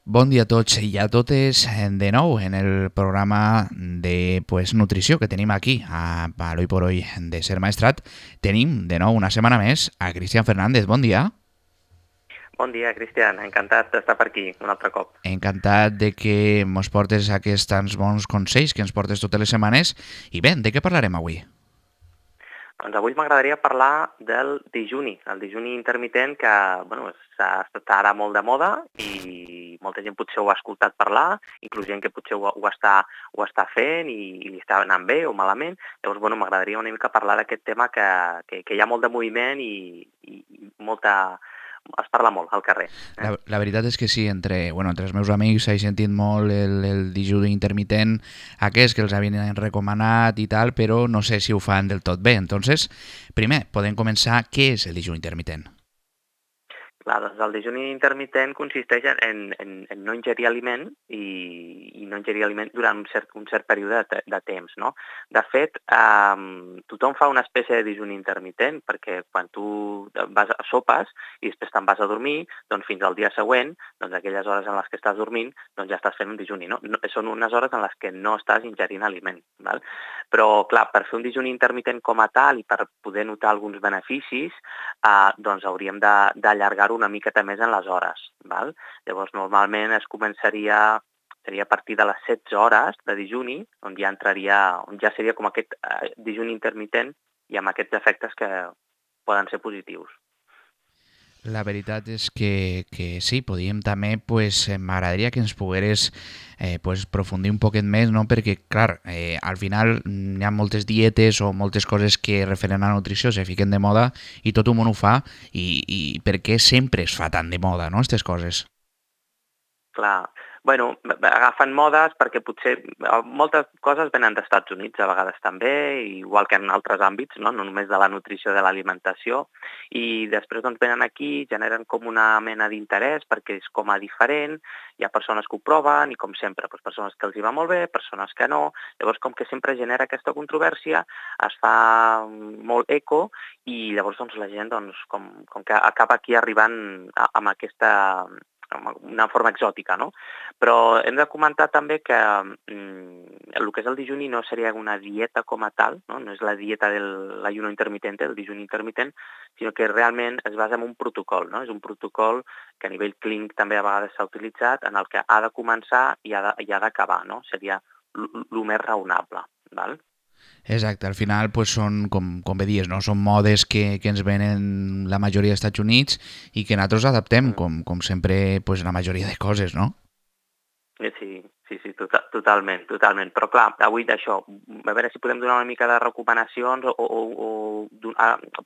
Bon dia a tots i a totes de nou en el programa de nutrició que tenim aquí a l'Hoy por Hoy de Ser Maestrat. Tenim de nou una setmana més a Cristian Fernández. Bon dia. Bon dia, Cristian. Encantat d'estar per aquí un altre cop. Encantat de que ens portes aquests tants bons consells que ens portes totes les setmanes. I bé, de què parlarem avui? Doncs avui m'agradaria parlar del dijuni, el dijuni intermitent que està ara molt de moda i molta gent potser ho ha escoltat parlar, inclús gent que potser ho està fent i li està anant bé o malament. Llavors, m'agradaria una mica parlar d'aquest tema que hi ha molt de moviment i molta... Es parla molt al carrer. La veritat és que sí, entre els meus amics he sentit molt el dijuni intermitent aquest que els havien recomanat i tal, però no sé si ho fan del tot bé. Entonces, primer, podem començar què és el dijuni intermitent. Clar, doncs el dijuni intermitent consisteix en no ingerir aliment i no ingerir aliment durant un cert període de temps, no? De fet, tothom fa una espècie de dijuni intermitent perquè quan tu sopes i després te'n vas a dormir, doncs fins al dia següent, doncs aquelles hores en les que estàs dormint, doncs ja estàs fent un dijuni, no? Són unes hores en les que no estàs ingerint aliment, val? Però, clar, per fer un dijuni intermitent com a tal i per poder notar alguns beneficis, doncs hauríem d'allargar-ho una miqueta més en les hores. Val? Llavors, normalment seria a partir de les 16 hores de dijuni, on ja seria com aquest dijuni intermitent i amb aquests efectes que poden ser positius. La veritat és que sí, podíem també, m'agradaria que ens pogueres profundir un poquet més, no? Perquè, clar, al final hi ha moltes dietes o moltes coses que referen a la nutrició se fiquen de moda i tot el món ho fa i per què sempre es fa tan de moda, no?, aquestes coses. Clar, agafen modes perquè potser moltes coses venen dels Estats Units, a vegades també, igual que en altres àmbits, no només de la nutrició, de l'alimentació, i després doncs venen aquí, generen com una mena d'interès perquè és com a diferent, hi ha persones que ho proven i com sempre, doncs, persones que els hi va molt bé, persones que no, llavors com que sempre genera aquesta controvèrsia, es fa molt eco i llavors doncs, la gent com que acaba aquí arribant amb una forma exòtica, no? Però hem de comentar també que el que és el dijuni no seria una dieta com a tal, no és la dieta de l'ayuno intermitente, el dijuni intermitent, sinó que realment es basa en un protocol, no? És un protocol que a nivell clínic també a vegades s'ha utilitzat, en el que ha de començar i ha d'acabar, no? Seria el més raonable, val? Exacte, al final són, com bé dius, no? Són modes que ens venen la majoria dels Estats Units i que nosaltres adaptem, com sempre, la majoria de coses, no? Sí, totalment. Però clar, avui d'això, a veure si podem donar una mica de recomanacions o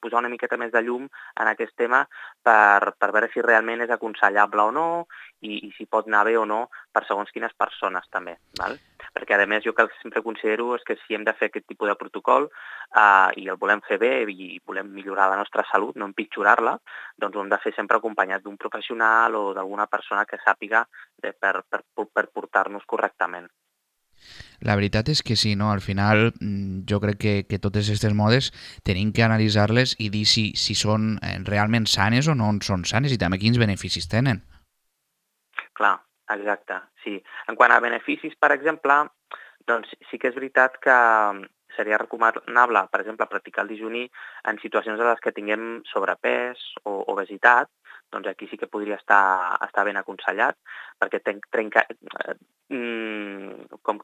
posar una miqueta més de llum en aquest tema per veure si realment és aconsellable o no i si pot anar bé o no per segons quines persones també, val? Perquè a més jo que sempre considero és que si hem de fer aquest tipus de protocol i el volem fer bé i volem millorar la nostra salut, no empitjorar-la, doncs ho hem de fer sempre acompanyat d'un professional o d'alguna persona que sàpiga per portar-nos correctament. La veritat és que sí, no? Al final jo crec que totes aquestes modes tenim que analitzar-les i dir si són realment sanes o no són sanes i també quins beneficis tenen. Clar, exacte, sí. En quant a beneficis, per exemple, doncs sí que és veritat que seria recomanable, per exemple, practicar el dijuni en situacions en les que tinguem sobrepès o obesitat, doncs aquí sí que podria estar ben aconsellat, perquè com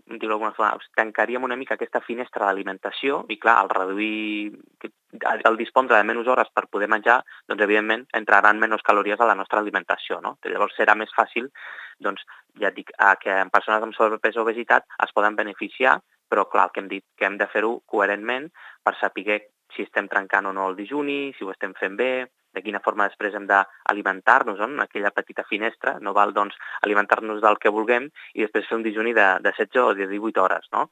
dir-ho d'alguna forma, tancaríem una mica aquesta finestra d'alimentació i, clar, al reduir, al dispondre de menys hores per poder menjar, doncs, evidentment, entraran menys calories a la nostra alimentació, no? Llavors serà més fàcil, doncs, ja et dic, que en persones amb sobrepès o obesitat es poden beneficiar, però, clar, el que hem dit, que hem de fer-ho coherentment per saber si estem trencant o no el dijuni, si ho estem fent bé, de quina forma després hem d'alimentar-nos en aquella petita finestra. No val, doncs, alimentar-nos del que vulguem i després fer un dijuni de 16 o de 18 hores, no?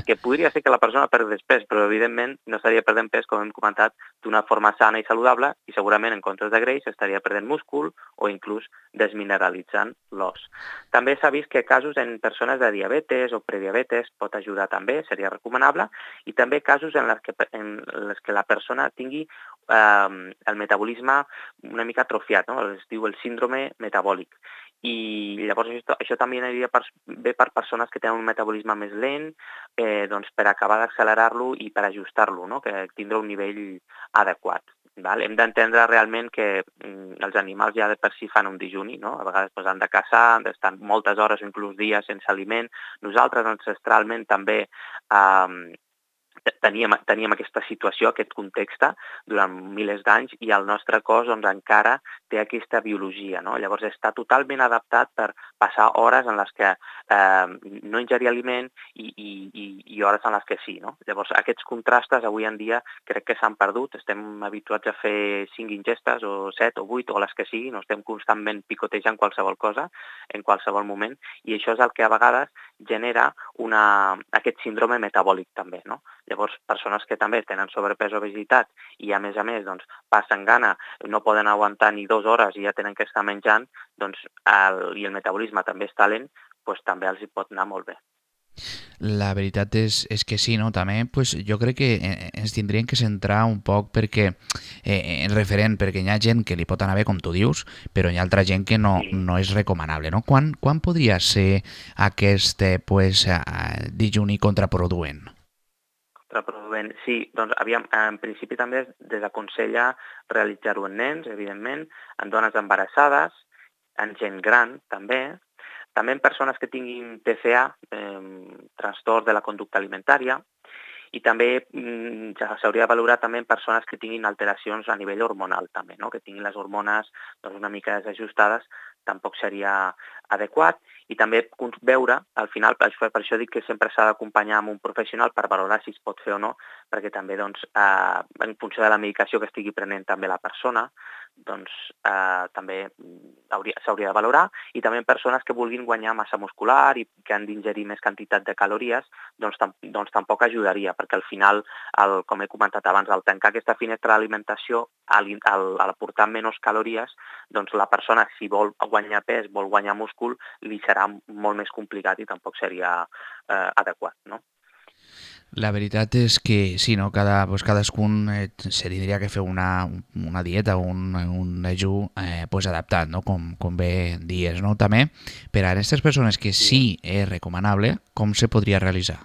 Que podria ser que la persona perdés pes, però evidentment no estaria perdent pes, com hem comentat, d'una forma sana i saludable i segurament en comptes de greix estaria perdent múscul o inclús desmineralitzant l'os. També s'ha vist que casos en persones de diabetes o prediabetes pot ajudar també, seria recomanable, i també casos en les que la persona tingui el metabolisme una mica atrofiat, no? Es diu el síndrome metabòlic. i llavors això també aniria bé per persones que tenen un metabolisme més lent, doncs per acabar d'accelerar-lo i per ajustar-lo, no? Que tindre un nivell adequat. Val? Hem d'entendre realment que els animals ja de per si fan un dijuni, no? A vegades han de caçar, han d'estar moltes hores o inclús dies sense aliment. Nosaltres ancestralment també teníem aquesta situació, aquest context durant milers d'anys i el nostre cos doncs, encara té aquesta biologia. No? Llavors està totalment adaptat per passar hores en les que no ingerir aliment i hores en les que sí. No? Llavors aquests contrastes avui en dia crec que s'han perdut. Estem habituats a fer 5 ingestes o 7 o 8 o les que sigui, no estem constantment picotejant qualsevol cosa en qualsevol moment i això és el que a vegades genera aquest síndrome metabòlic també. No? Llavors, persones que també tenen sobrepès o obesitat i a més doncs, passen gana, no poden aguantar ni 2 hores i ja tenen que estar menjant, doncs, i el metabolisme també està lent, doncs també els hi pot anar molt bé. La veritat és que sí, no? També pues, jo crec que ens tindrien que centrar un poc perquè en referent, perquè hi ha gent que li pot anar bé, com tu dius, però hi ha altra gent que no, no és recomanable. No? Quan podria ser aquest pues, dijuni contraproduent? Contraproduent, sí. Doncs, aviam, en principi també es desaconsella realitzar-ho en nens, evidentment, en dones embarassades, en gent gran, també en persones que tinguin TCA, trastorn de la conducta alimentària, i també s'hauria de valorar també en persones que tinguin alteracions a nivell hormonal, també, no? Que tinguin les hormones doncs, una mica desajustades, tampoc seria adequat, i també veure, al final, per això dic que sempre s'ha d'acompanyar amb un professional per valorar si es pot fer o no, perquè també doncs, en funció de la medicació que estigui prenent també la persona, doncs també s'hauria de valorar, i també en persones que vulguin guanyar massa muscular i que han d'ingerir més quantitat de calories, doncs tampoc ajudaria, perquè al final, com he comentat abans, al tancar aquesta finestra d'alimentació, al aportar menys calories, doncs la persona, si vol guanyar pes, vol guanyar múscul, li serà molt més complicat i tampoc seria adequat, no? La veritat és que sí, no? Cadascun se li diria que fer una dieta, un dejú pues adaptat, no? Com bé dies, no? També, per a aquestes persones que sí és recomanable, com se podria realitzar?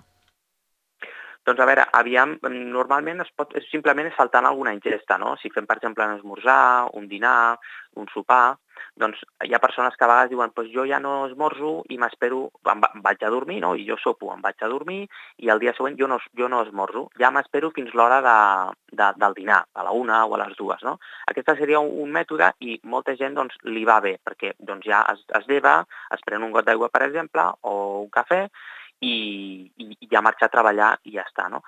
Doncs a veure, aviam, normalment simplement saltant alguna ingesta, no? Si fem, per exemple, un esmorzar, un dinar, un sopar, doncs hi ha persones que a vegades diuen pues jo ja no esmorzo i m'espero, em vaig a dormir, no? I jo sopo, em vaig a dormir i el dia següent jo no esmorzo, ja m'espero fins l'hora del dinar, a la 1 o a les 2, no? Aquest seria un mètode i molta gent doncs, li va bé, perquè doncs, ja es lleva, es pren un got d'aigua, per exemple, o un cafè, i ja marxa a treballar i ja està, no?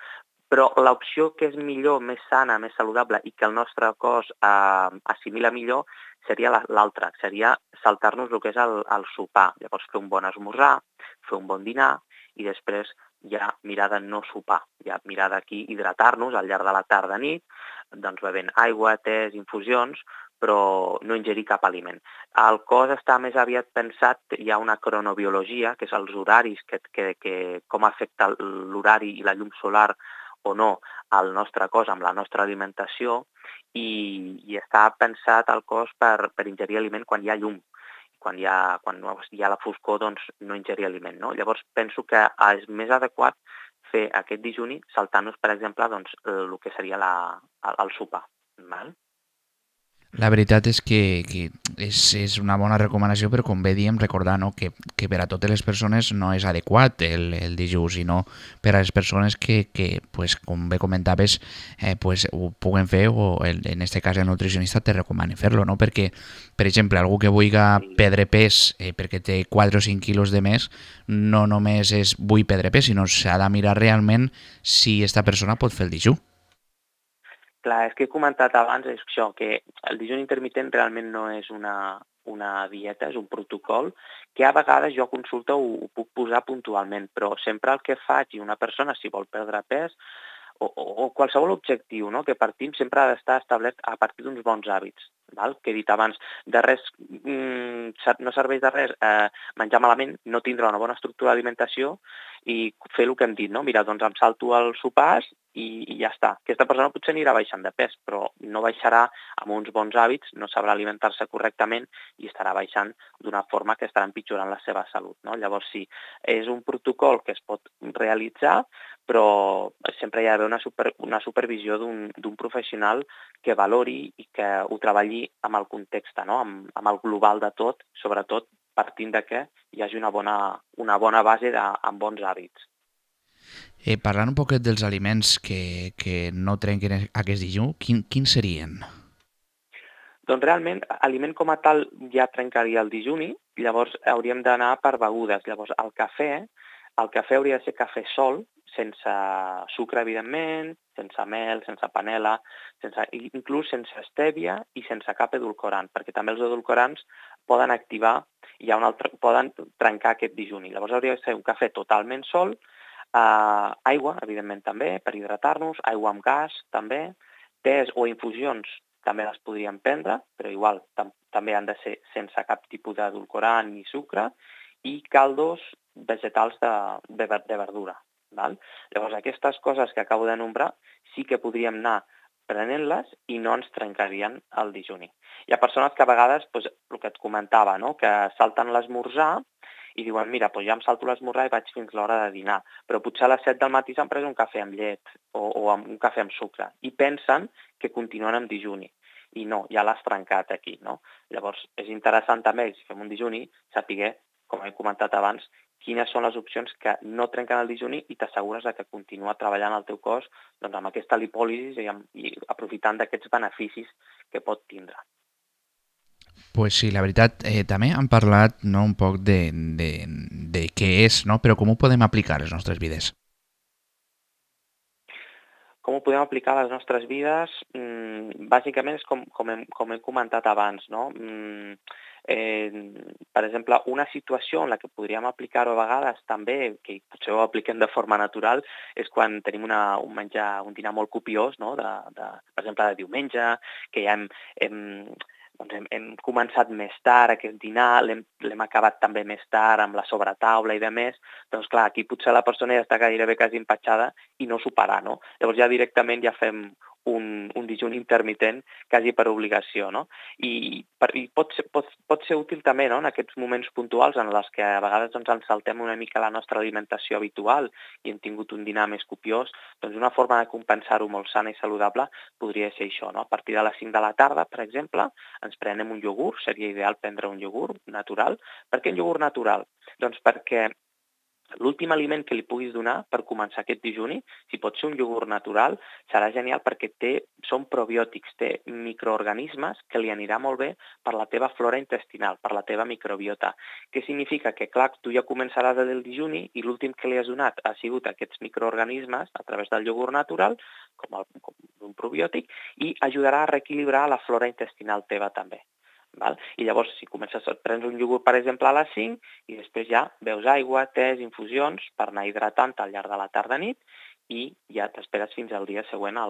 Però l'opció que és millor, més sana, més saludable i que el nostre cos assimila millor seria l'altra, seria saltar-nos el que és el sopar. Llavors fer un bon esmorzar, fer un bon dinar i després ja mirar de no sopar, ja mirar d'aquí hidratar-nos al llarg de la tarda-nit, doncs bevent aigua, tés, infusions, però no ingerir cap aliment. El cos està més aviat pensat, hi ha una cronobiologia, que és els horaris, com afecta l'horari i la llum solar o no al nostre cos amb la nostra alimentació i està pensat el cos per ingerir aliment quan hi ha llum. Quan hi ha la foscor, doncs no ingerir aliment. No? Llavors penso que és més adequat fer aquest dijuni saltant-nos, per exemple, doncs, el que seria el sopar. Val? La veritat és que és una bona recomanació, però com bé diem, recordar no, que per a totes les persones no és adequat el dijú, sinó per a les persones que pues, com bé comentaves, pues, ho puguen fer o en este cas el nutricionista te recomana fer-lo, no? Perquè, per exemple, algú que vulgui perdre pes perquè té 4 o 5 quilos de més, no només és vull perdre pes, sinó s'ha de mirar realment si esta persona pot fer el dijú. Clar, és que he comentat abans això, que el dijuni intermitent realment no és una dieta, és un protocol que a vegades jo a consulta ho puc posar puntualment, però sempre el que faig i una persona si vol perdre pes o qualsevol objectiu, no? Que partim sempre ha d'estar establert a partir d'uns bons hàbits. val? Que he dit abans, de res, no serveix de res menjar malament, no tindre una bona estructura d'alimentació i fer el que hem dit, no? Mira, doncs em salto els sopars i ja està. Aquesta persona potser anirà baixant de pes, però no baixarà amb uns bons hàbits, no sabrà alimentar-se correctament i estarà baixant d'una forma que estarà empitjorant la seva salut, no? Llavors sí, és un protocol que es pot realitzar, però sempre hi ha d'haver una supervisió d'un professional que valori i que ho treballi amb el context, no? amb el global de tot, sobretot partint de que hi hagi una bona base amb bons hàbits. Parlant un poquet dels aliments que no trenquen aquest dijú, quins serien? Doncs realment, aliment com a tal ja trencaria el dijuni, llavors hauríem d'anar per begudes. Llavors, el cafè hauria de ser cafè sol, sense sucre, evidentment, sense mel, sense panela, inclús sense estèvia i sense cap edulcorant, perquè també els edulcorants poden activar, poden trencar aquest dijuni. Llavors hauria de ser un cafè totalment sol, aigua, evidentment també, per hidratar-nos, aigua amb gas també, tés o infusions també les podríem prendre, però igual també han de ser sense cap tipus d'edulcorant ni sucre, i caldos vegetals de verdura. Val? Llavors, aquestes coses que acabo de nombrar sí que podríem anar prenent-les i no ens trencarien el dijuni. Hi ha persones que a vegades, doncs, el que et comentava, no? Que salten l'esmorzar i diuen, mira, doncs ja em salto l'esmorzar i vaig fins l'hora de dinar, però potser a les 7 del matí s'han pres un cafè amb llet o amb un cafè amb sucre i pensen que continuen amb dijuni. I no, ja l'has trencat aquí, no? Llavors, és interessant també, si fem un dijuni, saber, com he comentat abans, quines són les opcions que no trenquen el dijuni i t'assegures que continua treballant el teu cos doncs, amb aquesta lipòlisi i aprofitant d'aquests beneficis que pot tindre. Pues sí, la veritat, també han parlat, no, un poc de què és, no? Però com ho podem aplicar a les nostres vides? Com ho podem aplicar a les nostres vides? Bàsicament és com he comentat abans, no? Per exemple, una situació en la que podríem aplicar-ho a vegades també, que potser ho apliquem de forma natural, és quan tenim un dinar molt copiós, no? Per exemple, de diumenge, que ja hem començat més tard aquest dinar, l'hem acabat també més tard amb la sobretaula i de més, doncs clar, aquí potser la persona ja està gairebé quasi empatxada i no s'ho farà, no? Llavors ja directament ja fem un dijuni intermitent quasi per obligació, no? I pot ser útil també, no?, en aquests moments puntuals en els que a vegades doncs, ens saltem una mica la nostra alimentació habitual i hem tingut un dinar més copiós, doncs una forma de compensar-ho molt sana i saludable podria ser això, no? A partir de les 5 de la tarda, per exemple, ens prenem un iogurt, seria ideal prendre un iogurt natural. Per què un iogurt natural? Doncs perquè l'últim aliment que li puguis donar per començar aquest dijuni, si pot ser un iogurt natural, serà genial perquè són probiòtics, té microorganismes que li anirà molt bé per la teva flora intestinal, per la teva microbiota. Què significa? Que, clar, tu ja començaràs el dijuni i l'últim que li has donat ha sigut aquests microorganismes a través del iogurt natural, com un probiòtic, i ajudarà a reequilibrar la flora intestinal teva també. Val? I llavors, si prens un iogurt, per exemple, a les 5 i després ja beus aigua, tés, infusions per anar hidratant al llarg de la tarda-nit i ja t'esperes fins al dia següent a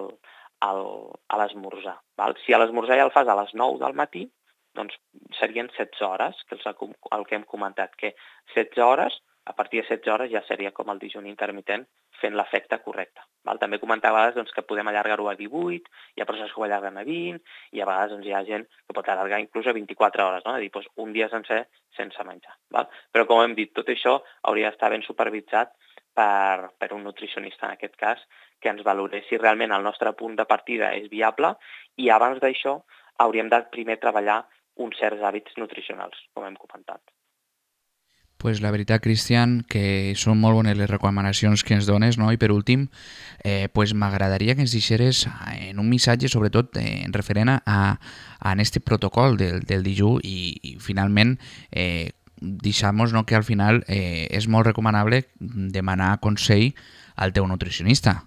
l'esmorzar. Si a l'esmorzar ja el fas a les 9 del matí, doncs serien 16 hores, que és el que hem comentat, que 16 hores, a partir de 16 hores ja seria com el dijuni intermitent fent l'efecte correcte. També comentar a vegades doncs, que podem allargar-ho a 18, hi ha persones que ho allarguen a 20, i a vegades doncs, hi ha gent que pot allargar inclús a 24 hores, no? És a dir, doncs, un dia sencer sense menjar. Però com hem dit, tot això hauria d'estar ben supervisat per un nutricionista, en aquest cas, que ens valorés si realment el nostre punt de partida és viable i abans d'això hauríem de primer treballar uns certs hàbits nutricionals, com hem comentat. Pues la veritat, Cristian, que són molt bones les recomanacions que ens dones, no? I per últim, pues m'agradaria que ens deixeres en un missatge, sobretot en referent a este protocol del dijú i finalment deixar-nos, no, que al final és molt recomanable demanar consell al teu nutricionista.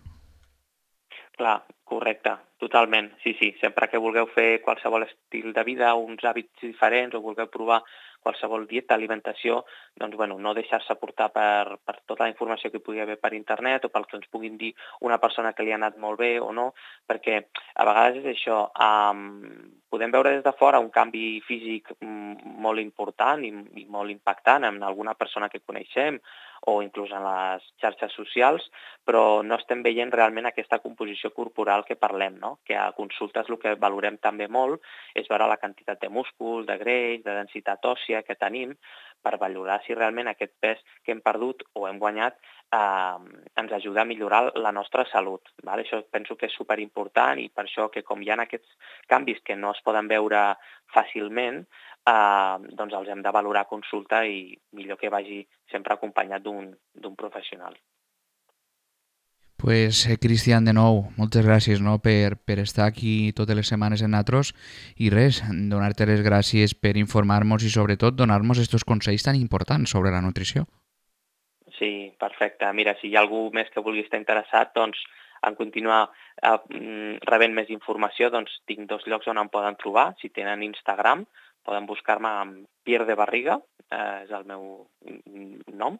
Clar, correcte, totalment. Sí, sempre que vulgueu fer qualsevol estil de vida, uns hàbits diferents o vulgueu provar qualsevol dieta, alimentació, doncs, bueno, no deixar-se portar per tota la informació que hi pugui haver per internet o pel que ens puguin dir una persona que li ha anat molt bé o no, perquè a vegades és això, podem veure des de fora un canvi físic molt important i molt impactant en alguna persona que coneixem o inclús en les xarxes socials, però no estem veient realment aquesta composició corporal que parlem, no? Que a consultes el que valorem també molt és veure la quantitat de múscul, de greix, de densitat òssia que tenim per valorar si realment aquest pes que hem perdut o hem guanyat ens ajuda a millorar la nostra salut. Val? Això penso que és superimportant i per això que com hi ha aquests canvis que no es poden veure fàcilment, doncs els hem de valorar a consulta i millor que vagi sempre acompanyat d'un professional. Pues, Cristian, de nou, moltes gràcies, no, per estar aquí totes les setmanes en Natros i res, donar-te les gràcies per informar-nos i sobretot donar-nos aquests consells tan importants sobre la nutrició. Sí, perfecte. Mira, si hi ha algú més que vulgui estar interessat, doncs en continuar rebent més informació, doncs tinc 2 llocs on em poden trobar. Si tenen Instagram, poden buscar-me amb Pierre de Barriga, és el meu nom,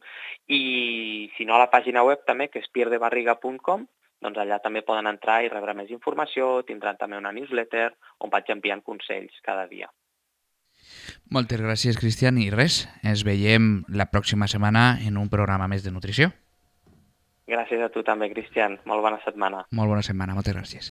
i si no a la pàgina web també, que és pierdebarriga.com, doncs allà també poden entrar i rebre més informació, tindran també una newsletter on vaig enviant consells cada dia. Moltes gràcies, Cristian, i res, ens veiem la pròxima setmana en un programa més de nutrició. Gràcies a tu també, Cristian. Molt bona setmana. Molt bona setmana, moltes gràcies.